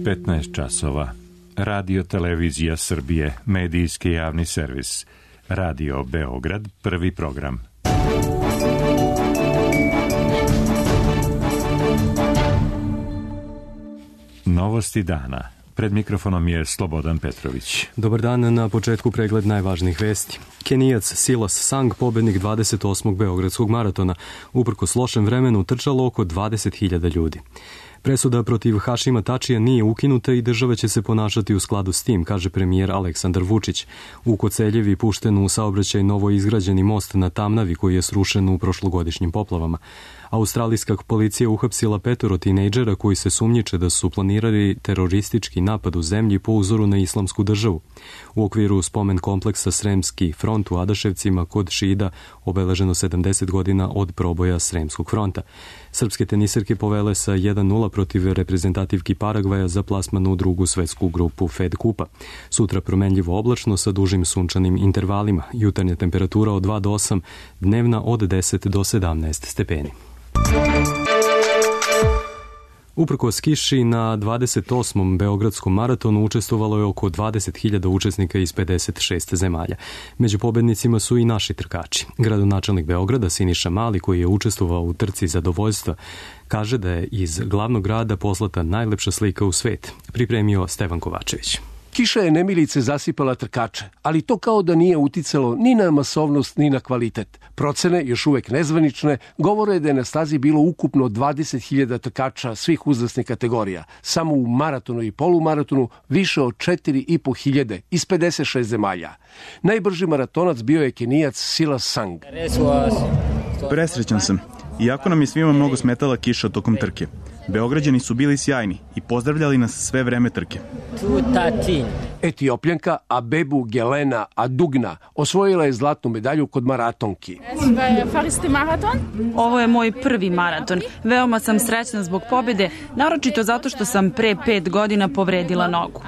15 časova. Radio Televizija Srbije, medijski javni servis. Radio Beograd, prvi program. Novosti dana. Pred mikrofonom je Slobodan Petrović. Dobar dan, na početku pregled najvažnijih vesti. Kenijac Silas Sang, pobednik 28. Beogradskog maratona, uprkos lošem vremenu trčalo oko 20.000 ljudi. Presuda protiv Hašima Tačija nije ukinuta i država će se ponašati u skladu s tim, kaže premijer Aleksandar Vučić. U Koceljevi pušten u saobraćaj novo izgrađeni most na Tamnavi koji je srušen u prošlogodišnjim poplavama. Australijska policija uhapsila 5 tinejdžera koji se sumnjiče da su planirali teroristički napad u zemlji po uzoru na islamsku državu. U okviru spomen kompleksa Sremski front u Adaševcima kod Šida obeleženo 70 godina od proboja Sremskog fronta. Srpske teniserke povele sa 1-0 protiv reprezentativki Paragvaja za plasman u drugu svetsku grupu Fed Kupa. Sutra promenljivo oblačno sa dužim sunčanim intervalima. Jutarnja temperatura od 2 do 8, dnevna od 10 do 17 stepeni. Uprkos kiši na 28. Beogradskom maratonu učestvovalo je oko 20.000 učesnika iz 56 zemalja. Među pobednicima su i naši trkači. Gradonačelnik Beograda Siniša Mali, koji je učestvovao u trci zadovoljstva, kaže da je iz glavnog grada poslata najlepša slika u svet. Pripremio Stevan Kovačević. Kiša je nemilice zasipala trkače, ali to kao da nije uticalo ni na masovnost ni na kvalitet. Procene, još uvek nezvanične, govore da je na stazi bilo ukupno 20.000 trkača svih uzrasnih kategorija. Samo u maratonu i polumaratonu više od 4.500 iz 56 zemalja. Najbrži maratonac bio je Kenijac Silas Sang. Presrećan sam. Iako nam je svima mnogo smetala kiša tokom trke. Beograđani su bili sjajni i pozdravljali nas sve vreme trke. Etiopljanka Abebu Gelena Adugna osvojila je zlatnu medalju kod maratonki. Ovo je moj prvi maraton. Veoma sam srećna zbog pobjede, naročito zato što sam pre 5 godina povredila nogu.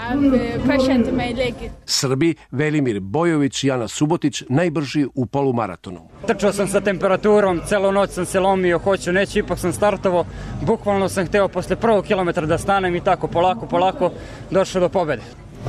Srbi Velimir Bojović i Ana Subotić najbrži u polumaratonu. Trčao sam sa temperaturom, celu noć sam se lomio, hoću, neću, ipak sam startovao. Bukvalno sam hteo posle prvog kilometra da stanem i tako polako došao do pobjede.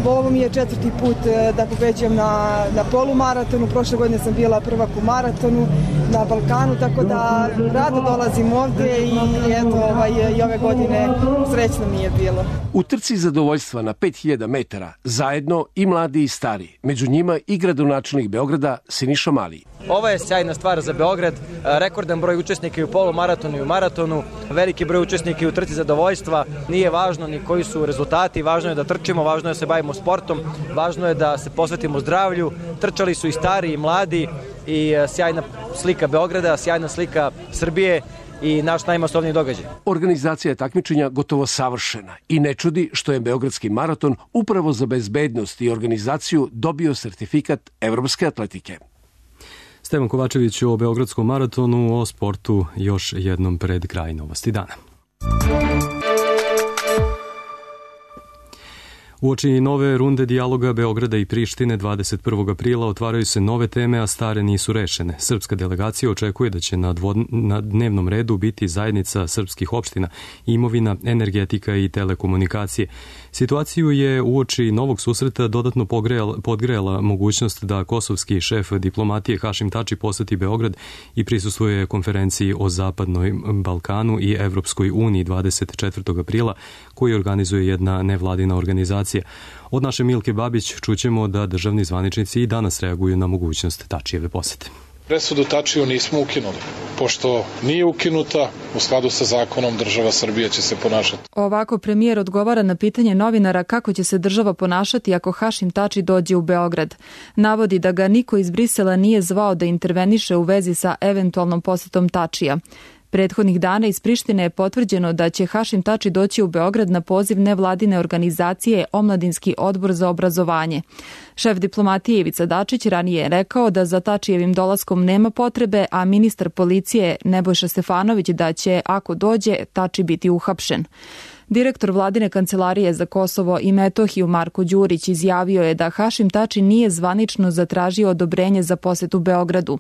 Ovo mi je 4. put da pobeđujem na polumaratonu. Prošle godine sam bila prvak u maratonu na Balkanu, tako da rado dolazim ovde i eto, i ove godine srećno mi je bilo. U trci zadovoljstva na 5000 metara zajedno i mladi i stari. Među njima i gradonačelnik Beograda Siniša Mali. Ovo je sjajna stvar za Beograd, rekordan broj učesnika i u polumaratonu i u maratonu, veliki broj učesnika i u trci zadovoljstva. Nije važno ni koji su rezultati, važno je da trčimo, važno je da se bavimo sportom, važno je da se posvetimo zdravlju. Trčali su i stari i mladi i sjajna slika Beograda, sjajna slika Srbije i naš najmasovniji događaj. Organizacija takmičenja gotovo savršena i ne čudi što je Beogradski maraton upravo za bezbednost i organizaciju dobio sertifikat evropske atletike. Stevan Kovačević o Beogradskom maratonu, o sportu još jednom pred kraj novosti dana. Uoči nove runde dijaloga Beograda i Prištine 21. aprila otvaraju se nove teme, a stare nisu rešene. Srpska delegacija očekuje da će na dnevnom redu biti zajednica srpskih opština, imovina, energetika i telekomunikacije. Situaciju je uoči novog susreta dodatno podgrejala mogućnost da kosovski šef diplomatije Hašim Tači poseti Beograd i prisustvuje konferenciji o Zapadnom Balkanu i Evropskoj uniji 24. aprila, koji organizuje jedna nevladina organizacija. Od naše Milke Babić čućemo da državni zvaničnici i danas reaguju na mogućnost Tačijeve posete. Presudu Tačiju nismo ukinuli. Pošto nije ukinuta, u skladu sa zakonom država Srbija će se ponašati. Ovako premijer odgovara na pitanje novinara kako će se država ponašati ako Hašim Tači dođe u Beograd. Navodi da ga niko iz Brisela nije zvao da interveniše u vezi sa eventualnom posetom Tačija. Prethodnih dana iz Prištine je potvrđeno da će Hašim Tači doći u Beograd na poziv nevladine organizacije Omladinski odbor za obrazovanje. Šef diplomatije Ivica Dačić ranije je rekao da za Tačijevim dolaskom nema potrebe, a ministar policije Nebojša Stefanović da će, ako dođe, Tači biti uhapšen. Direktor vladine kancelarije za Kosovo i Metohiju Marko Đurić izjavio je da Hašim Tači nije zvanično zatražio odobrenje za posetu Beogradu.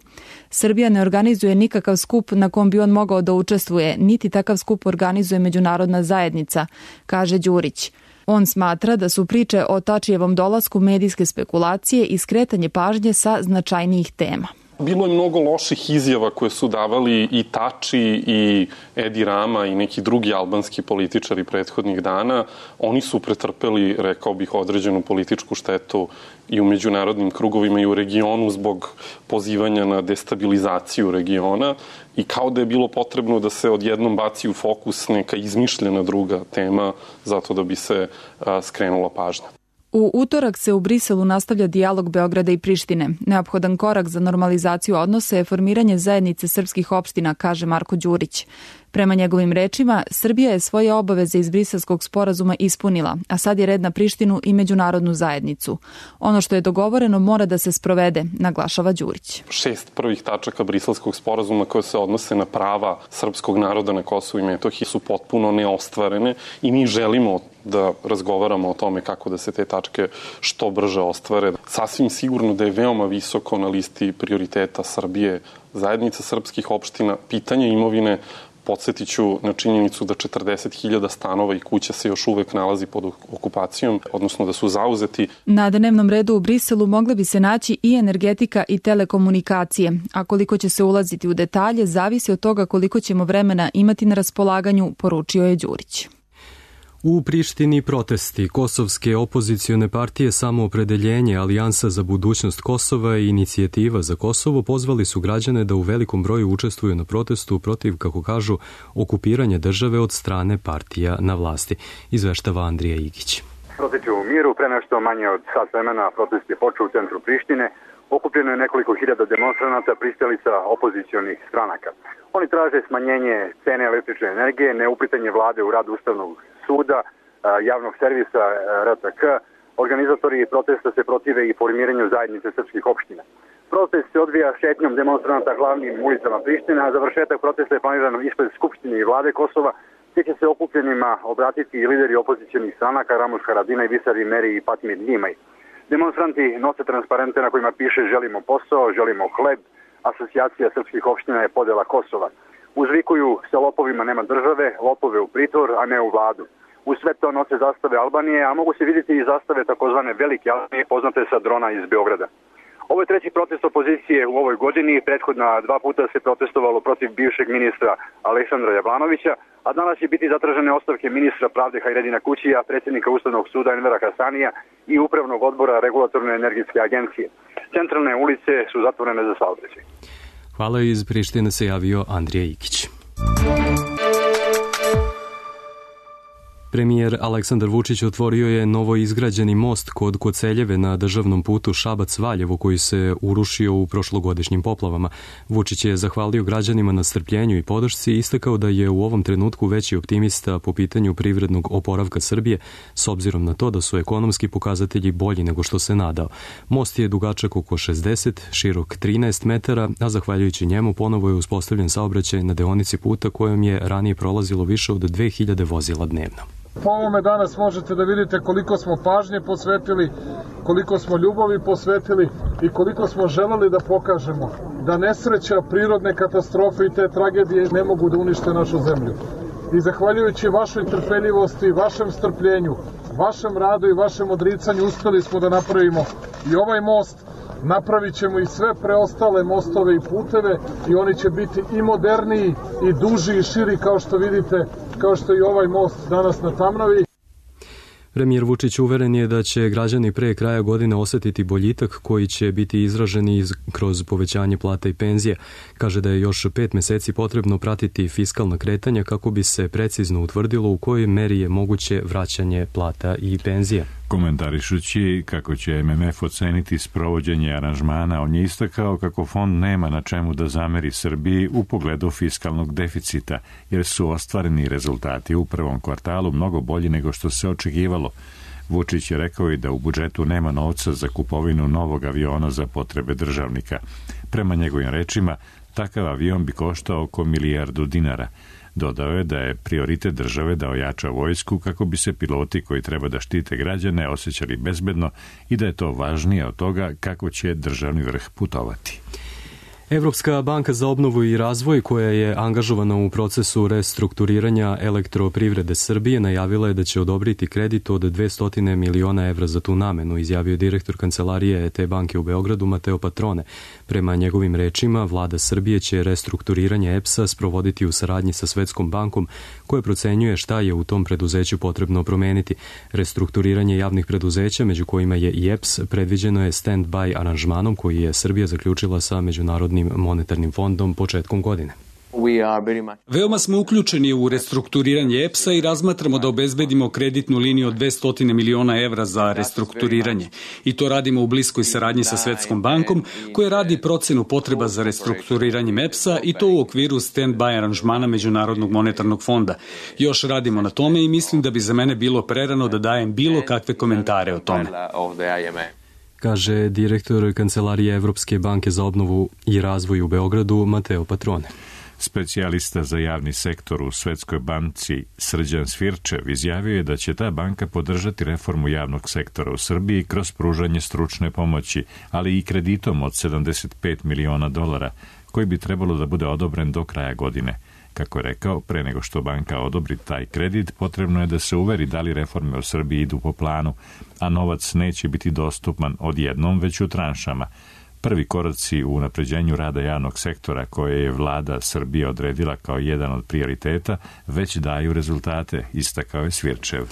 Srbija ne organizuje nikakav skup na kom bi on mogao da učestvuje, niti takav skup organizuje međunarodna zajednica, kaže Đurić. On smatra da su priče o Tačijevom dolasku medijske spekulacije i skretanje pažnje sa značajnijih tema. Bilo je mnogo loših izjava koje su davali i Tači i Edi Rama i neki drugi albanski političari prethodnih dana. Oni su pretrpeli, rekao bih, određenu političku štetu i u međunarodnim krugovima i u regionu zbog pozivanja na destabilizaciju regiona i kao da je bilo potrebno da se odjednom baci u fokus neka izmišljena druga tema zato da bi se skrenula pažnja. U utorak se u Briselu nastavlja dijalog Beograda i Prištine. Neophodan korak za normalizaciju odnosa je formiranje zajednice srpskih opština, kaže Marko Đurić. Prema njegovim rečima, Srbija je svoje obaveze iz Briselskog sporazuma ispunila, a sad je red na Prištinu i međunarodnu zajednicu. Ono što je dogovoreno mora da se sprovede, naglašava Đurić. 6 prvih tačaka Briselskog sporazuma koje se odnose na prava srpskog naroda na Kosovu i Metohiji su potpuno neostvarene i mi želimo da razgovaramo o tome kako da se te tačke što brže ostvare. Sasvim sigurno da je veoma visoko na listi prioriteta Srbije zajednica srpskih opština, pitanje imovine. Podsjetiću na činjenicu da 40.000 stanova i kuća se još uvek nalazi pod okupacijom, odnosno da su zauzeti. Na dnevnom redu u Briselu mogle bi se naći i energetika i telekomunikacije, a koliko će se ulaziti u detalje zavisi od toga koliko ćemo vremena imati na raspolaganju, poručio je Đurić. U Prištini protesti kosovske opozicione partije Samoopredeljenje, Alijansa za budućnost Kosova i Inicijativa za Kosovo pozvali su građane da u velikom broju učestvuju na protestu protiv, kako kažu, okupiranja države od strane partija na vlasti. Izveštava Andrija Igić. Protesti u miru, pre nešto manje od sat vremena protest je počeo u centru Prištine. Okupljeno je nekoliko hiljada demonstranata pristalica opozicionih stranaka. Oni traže smanjenje cene električne energije, neuplitanje vlade u rad Ustavnog suda, javnog servisa RTK. Organizatori protesta se protive i formiranju zajednice srpskih opština. Protest se odvija šetnjom demonstranata glavnim ulicama Prištine, a završetak protesta je planiran ispred Skupštine i vlade Kosova, gdje će se okupljenima obratiti i lideri opozicionih stranaka Ramuš Haradinaj, Visari Meri i Patmir Njimaj. Demonstranti nose transparente na kojima piše želimo posao, želimo hleb, asocijacija srpskih opština je podela Kosova. Uzvikuju se lopovima nema države, lopove u pritvor, a ne u vladu. U sve to nose zastave Albanije, a mogu se vidjeti i zastave takozvane Velike Albanije, poznate sa drona iz Beograda. Ovo je treći protest opozicije u ovoj godini, prethodna 2 puta se protestovalo protiv bivšeg ministra Aleksandra Jablanovića, a danas će biti zatražene ostavke ministra pravde Hajredina Kućija, predsjednika Ustavnog suda Envera Hasanija i Upravnog odbora Regulatorne energetske agencije. Centralne ulice su zatvorene za saobraćaj. Hvala, iz Prištine se javio Andrija Ikić. Premijer Aleksandar Vučić otvorio je novo izgrađeni most kod Koceljeve na državnom putu Šabac-Valjevo koji se urušio u prošlogodišnjim poplavama. Vučić je zahvalio građanima na strpljenju i podršci i istakao da je u ovom trenutku veći optimista po pitanju privrednog oporavka Srbije s obzirom na to da su ekonomski pokazatelji bolji nego što se nadao. Most je dugačak oko 60, širok 13 metara, a zahvaljujući njemu ponovo je uspostavljen saobraćaj na deonici puta kojom je ranije prolazilo više od 2000 vozila dnevno. Po ovome danas možete da vidite koliko smo pažnje posvetili, koliko smo ljubavi posvetili i koliko smo želeli da pokažemo da nesreća, prirodne katastrofe i te tragedije ne mogu da unište našu zemlju. I zahvaljujući vašoj trpeljivosti, vašem strpljenju, vašem radu i vašem odricanju uspeli smo da napravimo i ovaj most. Napravit ćemo i sve preostale mostove i puteve i oni će biti i moderniji i duži i širi kao što vidite, kao što i ovaj most danas na Tamnavi. Premijer Vučić uveren je da će građani pre kraja godine osetiti boljitak koji će biti izražen kroz povećanje plata i penzije. Kaže da je još 5 meseci potrebno pratiti fiskalna kretanja kako bi se precizno utvrdilo u kojoj meri je moguće vraćanje plata i penzija. Komentarišući kako će MMF oceniti sprovođenje aranžmana, on je istakao kako fond nema na čemu da zameri Srbiji u pogledu fiskalnog deficita, jer su ostvareni rezultati u prvom kvartalu mnogo bolji nego što se očekivalo. Vučić je rekao i da u budžetu nema novca za kupovinu novog aviona za potrebe državnika. Prema njegovim rečima, takav avion bi koštao oko $1 milijardu. Dodao je da je prioritet države da ojača vojsku kako bi se piloti koji treba da štite građane osjećali bezbedno i da je to važnije od toga kako će državni vrh putovati. Evropska banka za obnovu i razvoj, koja je angažovana u procesu restrukturiranja elektroprivrede Srbije, najavila je da će odobriti kredit od 200 miliona evra za tu namenu, izjavio direktor kancelarije te banke u Beogradu Mateo Patrone. Prema njegovim rečima, vlada Srbije će restrukturiranje EPS-a sprovoditi u saradnji sa Svetskom bankom, koja procenjuje šta je u tom preduzeću potrebno promeniti. Restrukturiranje javnih preduzeća, među kojima je i EPS, predviđeno je stand-by aranžmanom koji je Srbija zaključila sa Međunarodnim monetarnim fondom početkom godine. Veoma smo uključeni u restrukturiranje EPS-a i razmatramo da obezbedimo kreditnu liniju od 200 miliona evra za restrukturiranje. I to radimo u bliskoj saradnji sa Svetskom bankom, koja radi procenu potreba za restrukturiranjem EPS-a i to u okviru stand-by aranžmana Međunarodnog monetarnog fonda. Još radimo na tome i mislim da bi za mene bilo prerano da dajem bilo kakve komentare o tome, kaže direktor Kancelarije Evropske banke za obnovu i razvoj u Beogradu Mateo Patrone. Specijalista za javni sektor u Svetskoj banci Srđan Svirčev izjavio je da će ta banka podržati reformu javnog sektora u Srbiji kroz pružanje stručne pomoći, ali i kreditom od $75 miliona, koji bi trebalo da bude odobren do kraja godine. Kako je rekao, pre nego što banka odobri taj kredit, potrebno je da se uveri da li reforme u Srbiji idu po planu, a novac neće biti dostupan odjednom, već u tranšama. Prvi koraci u unapređenju rada javnog sektora, koje je vlada Srbije odredila kao jedan od prioriteta, već daju rezultate, istakao je Svirčev.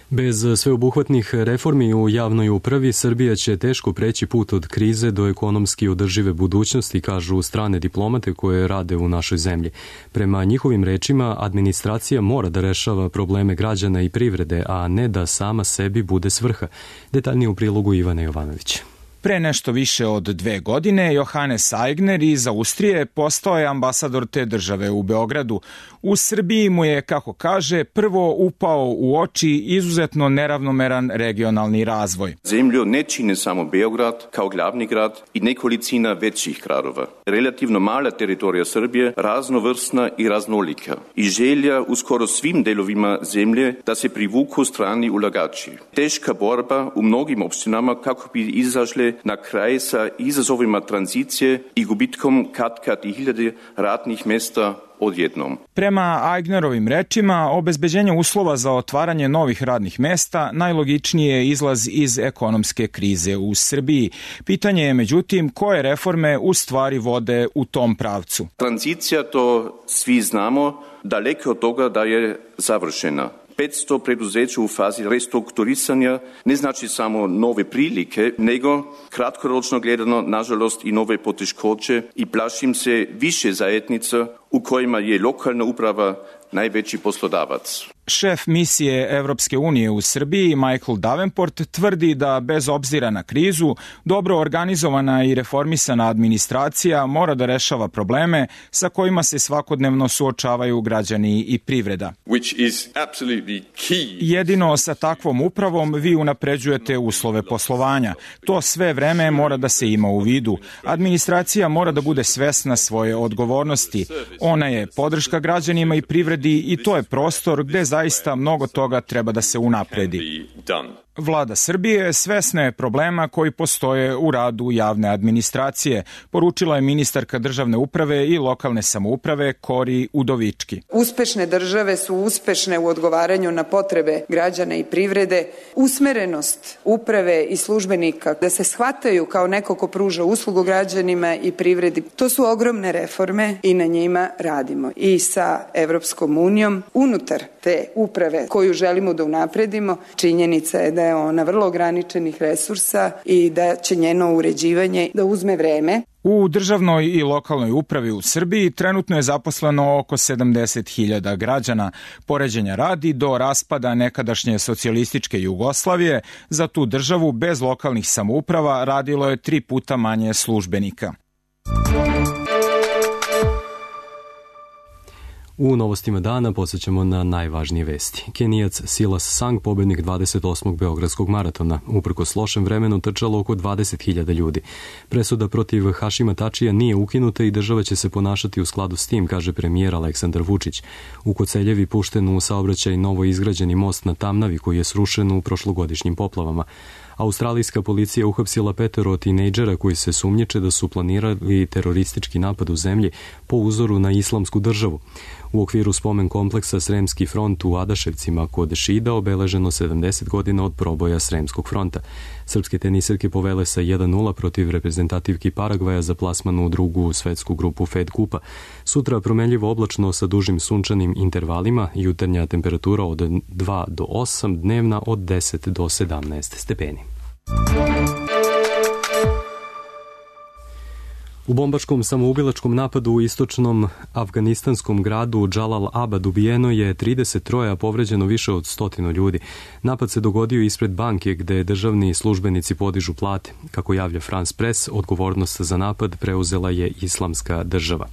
Bez sveobuhvatnih reformi u javnoj upravi, Srbija će teško preći put od krize do ekonomski održive budućnosti, kažu strane diplomate koje rade u našoj zemlji. Prema njihovim rečima, administracija mora da rešava probleme građana i privrede, a ne da sama sebi bude svrha. Detaljnije u prilogu Ivana Jovanovića. Pre nešto više od 2 godine, Johannes Aigner iz Austrije postao je ambasador te države u Beogradu. U Srbiji mu je, kako kaže, prvo upao u oči izuzetno neravnomeran regionalni razvoj. Zemlju ne čine samo Beograd kao glavni grad i nekolicina većih gradova. Relativno mala teritorija Srbije, raznovrsna i raznolika. I želja u skoro svim delovima zemlje da se privuku strani ulagači. Teška borba u mnogim opštinama kako bi izašle na kraj sa izazovima tranzicije i gubitkom kad i hiljade radnih mesta odjednom. Prema Aignerovim rečima, obezbeđenje uslova za otvaranje novih radnih mesta najlogičniji je izlaz iz ekonomske krize u Srbiji. Pitanje je, međutim, koje reforme u stvari vode u tom pravcu. Tranzicija, to svi znamo, daleko od toga da je završena. 500 preduzeća u fazi restrukturisanja ne znači samo nove prilike, nego kratkoročno gledano, nažalost, i nove poteškoće i plašim se više zajednica u kojima je lokalna uprava najveći poslodavac. Šef misije Evropske unije u Srbiji, Michael Davenport, tvrdi da bez obzira na krizu, dobro organizovana i reformisana administracija mora da rešava probleme sa kojima se svakodnevno suočavaju građani i privreda. Jedino sa takvom upravom vi unapređujete uslove poslovanja. To sve vreme mora da se ima u vidu. Administracija mora da bude svesna svoje odgovornosti. Ona je podrška građanima i privredi i to je prostor gde zaista mnogo toga treba da se unapredi. Vlada Srbije svesna je problema koji postoje u radu javne administracije, poručila je ministarka državne uprave i lokalne samouprave Kori Udovički. Uspešne države su uspešne u odgovaranju na potrebe građana i privrede, usmerenost uprave i službenika da se shvataju kao neko ko pruža uslugu građanima i privredi. To su ogromne reforme i na njima radimo. I sa Evropskom unijom unutar te uprave koju želimo da unapredimo, činjenica je da je ona vrlo ograničenih resursa i da će njeno uređivanje da uzme vreme. U državnoj i lokalnoj upravi u Srbiji trenutno je zaposleno oko 70.000 građana. Poređenja radi, do raspada nekadašnje socijalističke Jugoslavije za tu državu bez lokalnih samouprava radilo je 3 puta manje službenika. U novostima dana podsjećamo na najvažnije vesti. Kenijac Silas Sang, pobednik 28. Beogradskog maratona, uprkos lošem vremenu trčalo oko 20.000 ljudi. Presuda protiv Hašima Tačija nije ukinuta i država će se ponašati u skladu s tim, kaže premijer Aleksandar Vučić. U Koceljevi pušten u saobraćaj novo izgrađeni most na Tamnavi koji je srušen u prošlogodišnjim poplavama. Australijska policija uhapsila 5 tinejdžera koji se sumnjiče da su planirali teroristički napad u zemlji po uzoru na Islamsku državu. U okviru spomen kompleksa Sremski front u Adaševcima kod Šida obeleženo 70 godina od proboja Sremskog fronta. Srpske tenisirke povele sa 1-0 protiv reprezentativki Paragvaja za plasman u drugu svetsku grupu Fed kupa. Sutra promenljivo oblačno sa dužim sunčanim intervalima, jutarnja temperatura od 2 do 8, dnevna od 10 do 17 stepeni. U bombaškom samoubilačkom napadu u istočnom afganistanskom gradu Džalal Abad ubijeno je 33, a povređeno više od 100 ljudi. Napad se dogodio ispred banke gde državni službenici podižu plate. Kako javlja France Press, odgovornost za napad preuzela je Islamska država.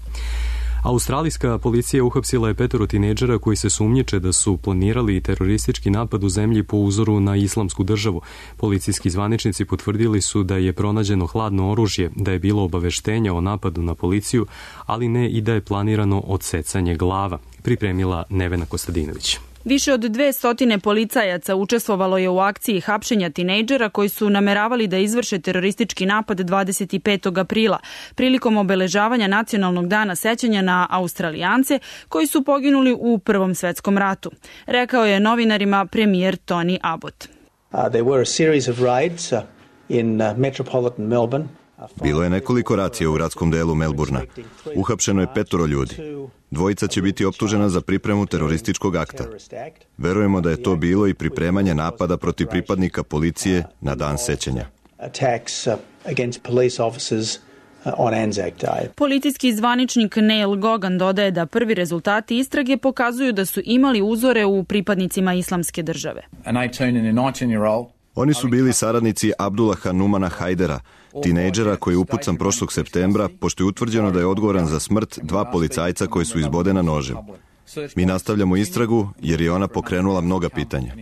Australijska policija uhapsila je 5 tinejdžera koji se sumnjiče da su planirali teroristički napad u zemlji po uzoru na Islamsku državu. Policijski zvaničnici potvrdili su da je pronađeno hladno oružje, da je bilo obaveštenja o napadu na policiju, ali ne i da je planirano odsecanje glava, pripremila Nevena Kostadinović. Više od 200 policajaca učestvovalo je u akciji hapšenja tinejdžera koji su nameravali da izvrše teroristički napad 25. aprila, prilikom obeležavanja Nacionalnog dana sećanja na Australijance koji su poginuli u Prvom svetskom ratu. Rekao je novinarima premijer Tony Abbott. There were a series of raids in metropolitan Melbourne. Bilo je nekoliko racija u gradskom delu Melburna. Uhapšeno je 5 ljudi. 2 će biti optužena za pripremu terorističkog akta. Verujemo da je to bilo i pripremanje napada protiv pripadnika policije na dan sećanja. Policijski zvaničnik Neil Gogan dodaje da prvi rezultati istrage pokazuju da su imali uzore u pripadnicima Islamske države. Oni su bili saradnici Abdullaha Numana Hajdera, tinejdžera koji je upucan prošlog septembra, pošto je utvrđeno da je odgovoran za smrt 2 policajca koji su izbodena nožem. Mi nastavljamo istragu jer je ona pokrenula mnoga pitanja.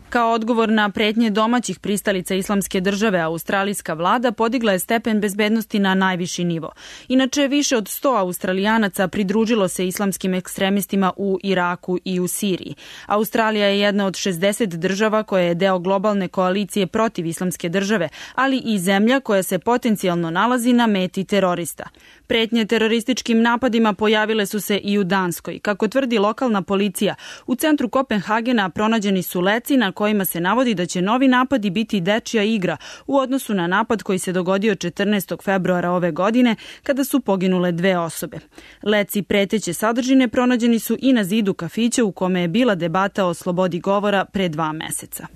Kao odgovor na pretnje domaćih pristalica Islamske države, australijska vlada podigla je stepen bezbednosti na najviši nivo. Inače, više od 100 Australijanaca pridružilo se islamskim ekstremistima u Iraku i u Siriji. Australija je jedna od 60 država koja je deo globalne koalicije protiv Islamske države, ali i zemlja koja se potencijalno nalazi na meti terorista. Pretnje terorističkim napadima pojavile su se i u Danskoj. Kako tvrdi lokalna policija, u centru Kopenhagena pronađeni su leci na kojima se navodi da će novi napadi biti dečija igra u odnosu na napad koji se dogodio 14. februara ove godine kada su poginule 2 osobe. Leci preteće sadržine pronađeni su i na zidu kafića u kome je bila debata o slobodi govora pre 2 meseca.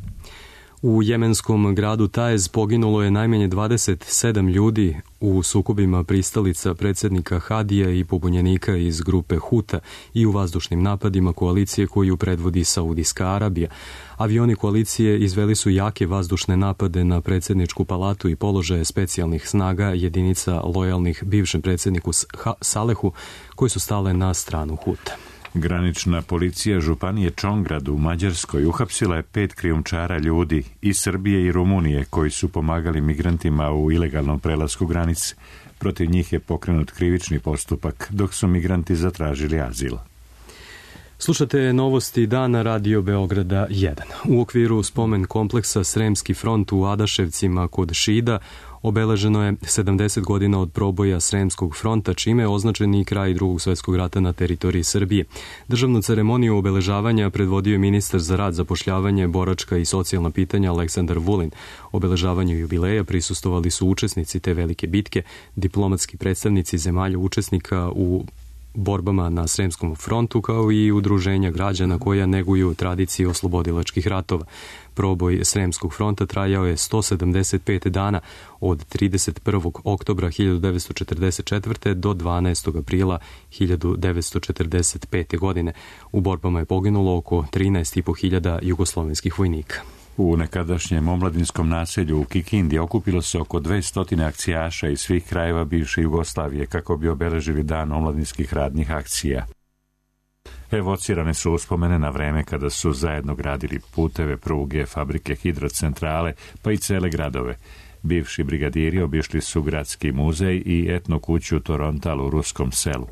U jemenskom gradu Taiz poginulo je najmanje 27 ljudi u sukobima pristalica predsjednika Hadija i pobunjenika iz grupe Huta i u vazdušnim napadima koalicije koju predvodi Saudijska Arabija. Avioni koalicije izveli su jake vazdušne napade na predsjedničku palatu i položaje specijalnih snaga jedinica lojalnih bivšem predsjedniku Salehu koji su stale na stranu Huta. Granična policija županije Čongrad u Mađarskoj uhapsila je 5 krijumčara ljudi iz Srbije i Rumunije koji su pomagali migrantima u ilegalnom prelasku granice. Protiv njih je pokrenut krivični postupak dok su migranti zatražili azil. Slušate novosti dana Radio Beograda 1. U okviru spomen kompleksa Sremski front u Adaševcima kod Šida obeleženo je 70 godina od proboja Sremskog fronta, čime je označen i kraj Drugog svjetskog rata na teritoriji Srbije. Državnu ceremoniju obeležavanja predvodio je ministar za rad, zapošljavanje, boračka i socijalna pitanja Aleksandar Vulin. Obeležavanju jubileja prisustvovali su učesnici te velike bitke, diplomatski predstavnici zemalja učesnika u borbama na Sremskom frontu, kao i udruženja građana koja neguju tradiciju oslobodilačkih ratova. Proboj Sremskog fronta trajao je 175 dana od 31. oktobra 1944. do 12. aprila 1945. godine. U borbama je poginulo oko 13.500 jugoslovenskih vojnika. U nekadašnjem omladinskom naselju u Kikindi okupilo se oko 200 akcijaša iz svih krajeva bivše Jugoslavije kako bi obeležili dan omladinskih radnih akcija. Evocirane su uspomene na vreme kada su zajedno gradili puteve, pruge, fabrike, hidrocentrale, pa i cele gradove. Bivši brigadiri obišli su gradski muzej i etno kuću Torontal u ruskom selu.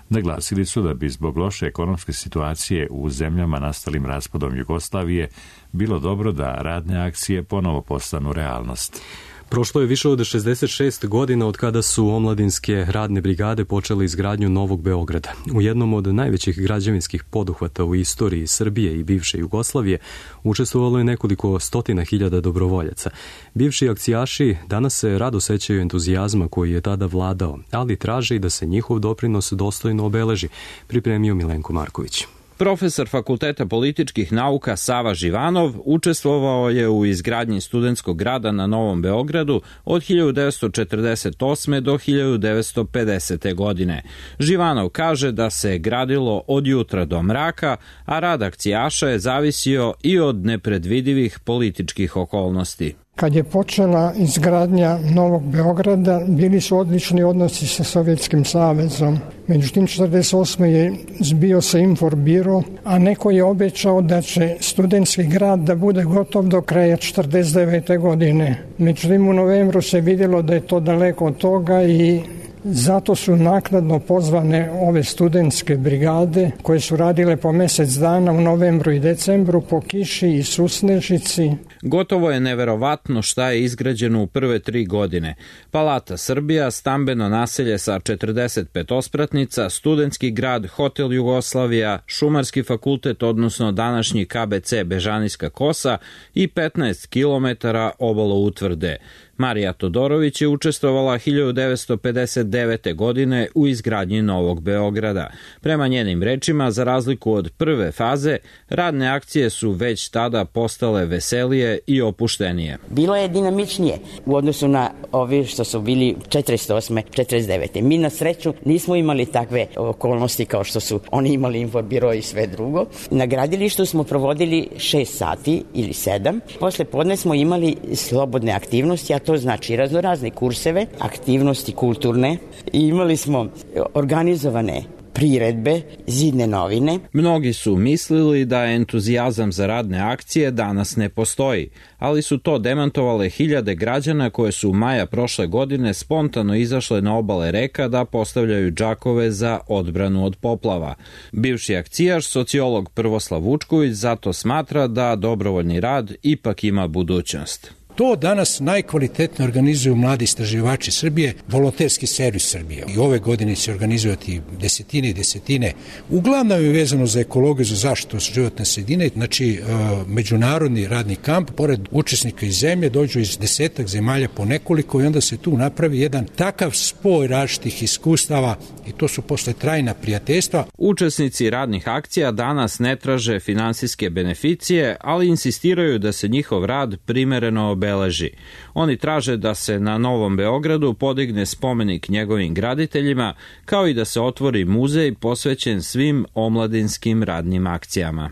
Naglasili su da bi zbog loše ekonomske situacije u zemljama nastalim raspadom Jugoslavije bilo dobro da radne akcije ponovo postanu realnost. Prošlo je više od 66 godina od kada su omladinske radne brigade počele izgradnju Novog Beograda. U jednom od najvećih građevinskih poduhvata u istoriji Srbije i bivše Jugoslavije učestvovalo je nekoliko stotina hiljada dobrovoljaca. Bivši akcijaši danas se rado sećaju entuzijazma koji je tada vladao, ali traže i da se njihov doprinos dostojno obeleži, pripremio Milenko Marković. Profesor Fakulteta političkih nauka Sava Živanov učestvovao je u izgradnji studentskog grada na Novom Beogradu od 1948. do 1950. godine. Živanov kaže da se gradilo od jutra do mraka, a rad akcijaša je zavisio i od nepredvidivih političkih okolnosti. Kad je počela izgradnja Novog Beograda, bili su odlični odnosi sa Sovjetskim savezom. Međutim, 1948. je zbio se Inforbiro, a neko je obećao da će studentski grad da bude gotov do kraja 1949. godine. Međutim, u novembru se vidjelo da je to daleko od toga i zato su naknadno pozvane ove studentske brigade koje su radile po mjesec dana u novembru i decembru po kiši i susnežici. Gotovo je neverovatno šta je izgrađeno u prve 3 godine. Palata Srbija, stambeno naselje sa 45 ospratnica, studentski grad, hotel Jugoslavija, šumarski fakultet, odnosno današnji KBC Bežanijska kosa i 15 km obalo utvrde. Marija Todorović je učestvovala 1959. godine u izgradnji Novog Beograda. Prema njenim rečima, za razliku od prve faze, radne akcije su već tada postale veselije i opuštenije. Bilo je dinamičnije u odnosu na ovi što su bili 48. 49. Mi na sreću nismo imali takve okolnosti kao što su oni imali Inforbiro i sve drugo. Na gradilištu smo provodili 6 sati ili 7. Posle podne smo imali slobodne aktivnosti, a to znači raznorazne kurseve, aktivnosti kulturne i imali smo organizovane priredbe, zidne novine. Mnogi su mislili da entuzijazam za radne akcije danas ne postoji, ali su to demantovale hiljade građana koje su maja prošle godine spontano izašle na obale reka da postavljaju džakove za odbranu od poplava. Bivši akcijaš, sociolog Prvoslav Vučković, zato smatra da dobrovoljni rad ipak ima budućnost. To danas najkvalitetnije organizuju mladi istraživači Srbije, volonterski servis Srbije. I ove godine će organizovati desetine i desetine. Uglavnom je vezano za ekologiju, za zaštitu životne sredine. Znači, međunarodni radni kamp, pored učesnika iz zemlje, dođu iz 10 zemalja po nekoliko i onda se tu napravi jedan takav spoj različitih iskustava i to su posle trajna prijateljstva. Učesnici radnih akcija danas ne traže finansijske beneficije, ali insistiraju da se njihov rad primereno obeleži. Oni traže da se na Novom Beogradu podigne spomenik njegovim graditeljima, kao i da se otvori muzej posvećen svim omladinskim radnim akcijama.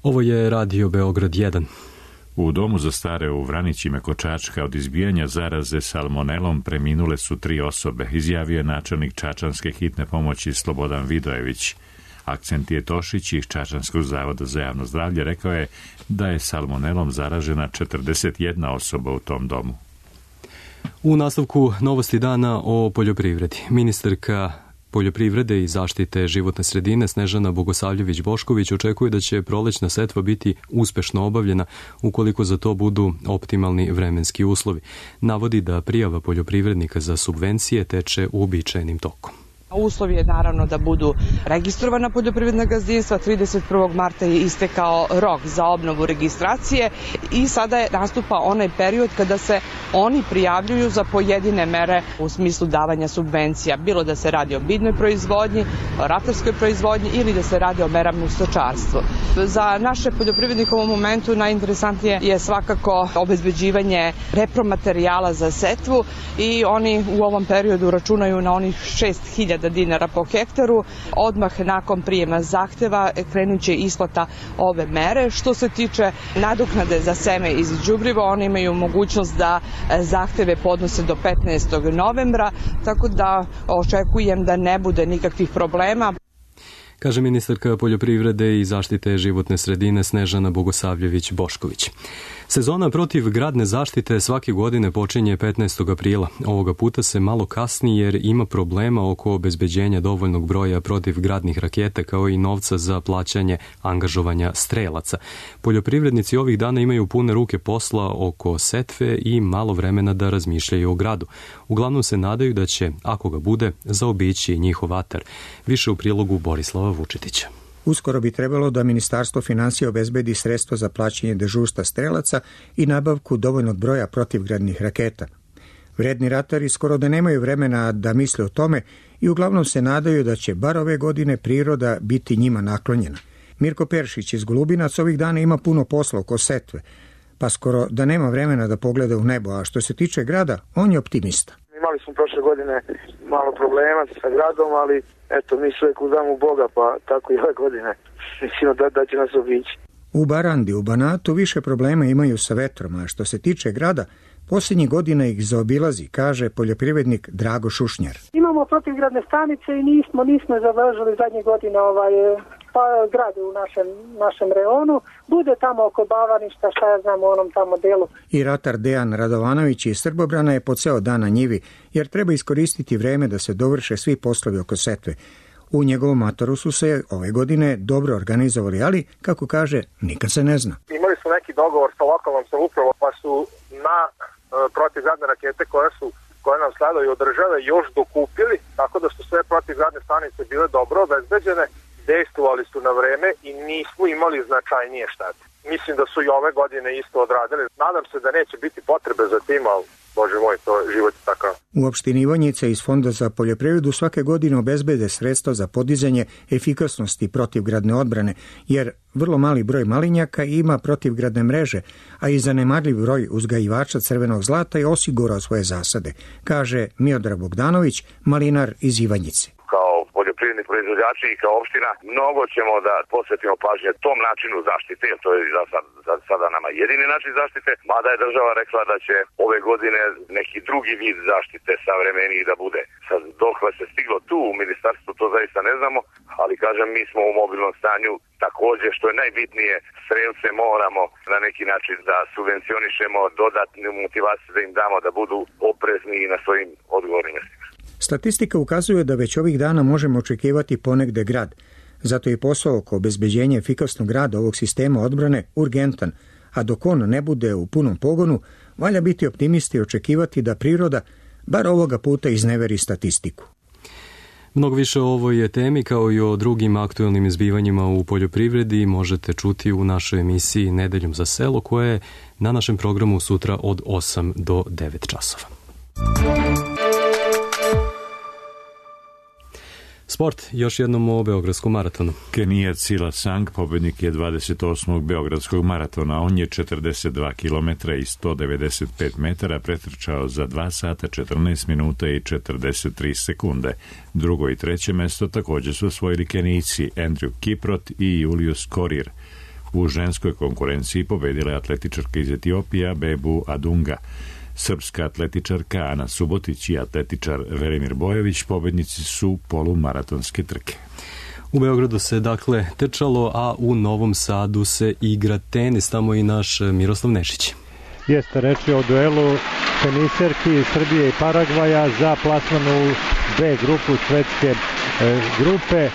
Ovo je Radio Beograd 1. U domu za stare u Vranićima kod Čačka od izbijanja zaraze salmonelom preminule su 3 osobe, izjavio je načelnik Čačanske hitne pomoći Slobodan Vidojević. Akcentije Tošić iz Čačanskog zavoda za javno zdravlje rekao je da je salmonelom zaražena 41 osoba u tom domu. U nastavku novosti dana o poljoprivredi. Ministarka poljoprivrede i zaštite životne sredine Snežana Bogosavljević-Bošković očekuje da će prolećna setva biti uspešno obavljena ukoliko za to budu optimalni vremenski uslovi. Navodi da prijava poljoprivrednika za subvencije teče uobičajenim tokom. Uslov je naravno da budu registrovana poljoprivredna gazdinstva. 31. marta je istekao rok za obnovu registracije i sada je nastupa onaj period kada se oni prijavljuju za pojedine mere u smislu davanja subvencija. Bilo da se radi o biljnoj proizvodnji, o ratarskoj proizvodnji ili da se radi o merama u stočarstvu. Za naše poljoprivrednike u ovom momentu najinteresantnije je svakako obezbeđivanje repromaterijala za setvu i oni u ovom periodu računaju na onih 6.000 dinara po hektaru. Odmah nakon prijema zahteva krenut će isplata ove mere. Što se tiče nadoknade za seme iz đubriva, oni imaju mogućnost da zahteve podnose do 15. novembra, tako da očekujem da ne bude nikakvih problema. kaže ministarka poljoprivrede i zaštite životne sredine Snežana Bogosavljević-Bošković. Sezona protiv gradne zaštite svake godine počinje 15. aprila. Ovoga puta se malo kasni jer ima problema oko obezbeđenja dovoljnog broja protivgradnih raketa kao i novca za plaćanje angažovanja strelaca. Poljoprivrednici ovih dana imaju pune ruke posla oko setve i malo vremena da razmišljaju o gradu. Uglavnom se nadaju da će, ako ga bude, zaobići njihov atar. Više u prilogu Borislava Vučetića. Uskoro bi trebalo da Ministarstvo finansija obezbedi sredstva za plaćanje dežurstva strelaca i nabavku dovoljnog broja protivgradnih raketa. Vredni ratari skoro da nemaju vremena da misle o tome i uglavnom se nadaju da će bar ove godine priroda biti njima naklonjena. Mirko Peršić iz Golubinac ovih dana ima puno posla oko setve, pa skoro da nema vremena da pogleda u nebo, a što se tiče grada, on je optimista. Imali smo prošle godine malo problema sa gradom, ali eto, mi sve uzdamo u Boga, pa tako i ove godine. Mislimo da će nas obići. U Barandi, u Banatu više problema imaju sa vetrom, a što se tiče grada, posljednjih godina ih zaobilazi, kaže poljoprivrednik Drago Šušnjar. Imamo protivgradne stanice i nismo završili zadnje godine grade u našem reonu. Bude tamo oko Bavaništa, šta ja znam u onom tamo delu. I ratar Dejan Radovanović iz Srbobrana je po ceo dan na njivi, jer treba iskoristiti vreme da se dovrše svi poslovi oko setve. U njegovom motoru su se ove godine dobro organizovali, ali, kako kaže, nikad se ne zna. Imali su neki dogovor sa lokalnom samoupravom, pa su na protivgradne rakete koje nam sledaju od države još dokupili, tako da su sve protivgradne stanice bile dobro obezbeđene, dejstvovali su na vreme i nismo imali značajnije štete. Mislim da su i ove godine isto odradili. Nadam se da neće biti potrebe za tim, ali Bože moj, to je život takav. U opštini Ivanjica iz Fonda za poljoprivredu svake godine obezbede sredstva za podizanje efikasnosti protivgradne odbrane, jer vrlo mali broj malinjaka ima protivgradne mreže, a i zanemarljiv broj uzgajivača crvenog zlata je osigurao svoje zasade, kaže Miodrag Bogdanović, malinar iz Ivanjice. Poljoprivredni proizvođači i kao opština, mnogo ćemo da posvetimo pažnje tom načinu zaštite, jer to je za sada nama jedini način zaštite, mada je država rekla da će ove godine neki drugi vid zaštite savremeniji da bude. Sad, dokle se stiglo tu u ministarstvu, to zaista ne znamo, ali kažem, mi smo u mobilnom stanju, takođe, što je najbitnije, strelce moramo na neki način da subvencionišemo, dodatnu motivaciju da im damo da budu oprezni na svojim odgovornim mjestima. Statistika ukazuje da već ovih dana možemo očekivati ponegde grad. Zato je posao oko obezbeđenja efikasnog rada ovog sistema odbrane urgentan, a dok on ne bude u punom pogonu, valja biti optimisti i očekivati da priroda bar ovoga puta izneveri statistiku. Mnogo više o ovoj temi kao i o drugim aktuelnim izbivanjima u poljoprivredi možete čuti u našoj emisiji Nedeljom za selo, koja je na našem programu sutra od 8 do 9 časova. Sport, još jednom o Beogradskom maratonu. Kenijac Silas Sang pobednik je 28. Beogradskog maratona. On je 42 km i 195 metara pretrčao za 2 sata, 14 minuta i 43 sekunde. Drugo i treće mesto također su osvojili Kenijci Andrew Kiprot i Julius Korir. U ženskoj konkurenciji pobedila je atletičarka iz Etiopija Bebu Adunga. Srpska atletičarka Ana Subotić i atletičar Velimir Bojović pobednici su polumaratonske trke. U Beogradu se dakle trčalo, a u Novom Sadu se igra tenis, tamo i naš Miroslav Nešić. Jeste, reč je o duelu teniserki Srbije i Paragvaja za plasman u B grupu svetske grupe.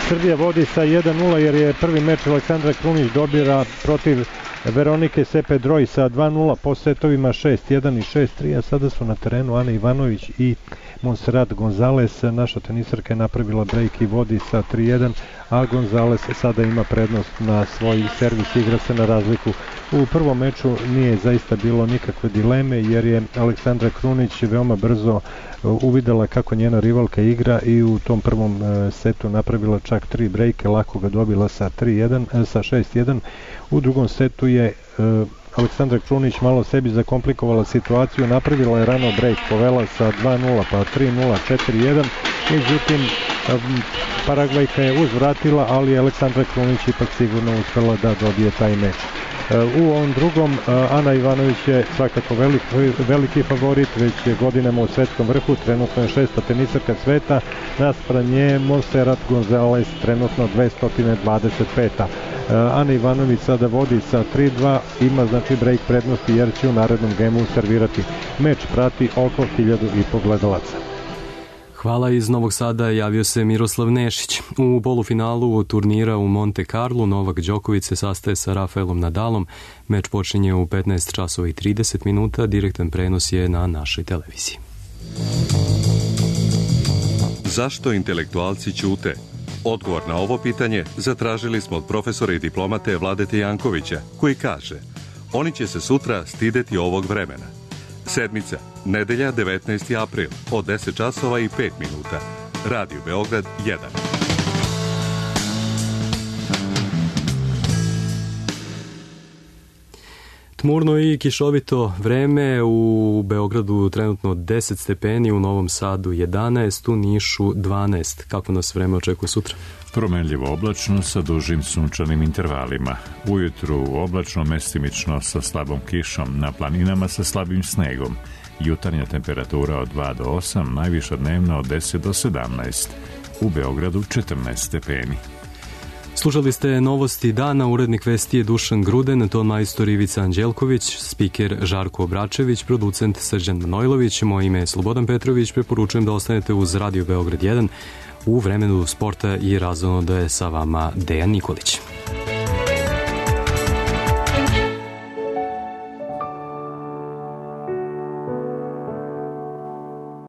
Srbija vodi sa 1-0 jer je prvi meč Aleksandra Krunić dobila protiv Veronike Sepedroj sa 2-0 po setovima 6-1 i 6-3, a sada su na terenu Ana Ivanović i Monserrat Gonzalez. Naša tenisarka je napravila break i vodi sa 3-1, a Gonzalez sada ima prednost na svoj servis, igra se na razliku. U prvom meču nije zaista bilo nikakve dileme jer je Aleksandra Krunić veoma brzo uvidela kako njena rivalka igra i u tom prvom setu napravila čak 3 brejke, lako ga dobila sa 6-1. U drugom setu je Aleksandra Krunić malo sebi zakomplikovala situaciju, napravila je rano brejk, povela sa 2-0 pa 3-0, 4-1, međutim Paragvajka je uzvratila, ali Aleksandra Krunić ipak sigurno uspela da dobije taj meč. U ovom drugom Ana Ivanović je svakako veliki favorit, već je godinama u svetskom vrhu, trenutno je 6. tenisarka sveta, naspram nje Montserrat Gonzalez, trenutno 225. Ana Ivanović sada vodi sa 3-2, ima znači break prednosti jer će u narednom gemu servirati. Meč prati oko 1000 gledalaca. Hvala, iz Novog Sada javio se Miroslav Nešić. U polufinalu turnira u Monte Carlo Novak Đoković se sastaje sa Rafaelom Nadalom. Meč počinje u 15 časova i 30 minuta. Direktan prenos je na našoj televiziji. Zašto intelektualci ćute? Odgovor na ovo pitanje zatražili smo od profesora i diplomate Vladete Jankovića, koji kaže: oni će se sutra stideti ovog vremena. Sedmica, nedelja 19. april, od 10 časova i 5 minuta. Radio Beograd 1. Tmurno i kišovito vreme, u Beogradu trenutno 10 stepeni, u Novom Sadu 11, u Nišu 12. Kako nas vreme očekuje sutra? Promenljivo oblačno sa dužim sunčanim intervalima. Ujutru oblačno, mestimično sa slabom kišom, na planinama sa slabim snegom. Jutarnja temperatura od 2 do 8, najviša dnevna od 10 do 17. U Beogradu 14 stepeni. Slušali ste novosti dana, urednik vesti je Dušan Gruden, ton majstor Ivica Anđelković, spiker Žarko Obračević, producent Srđan Manojlović, moje ime je Slobodan Petrović, preporučujem da ostanete uz Radio Beograd 1. U vremenu sporta i razonoda je sa vama Dejan Nikolić.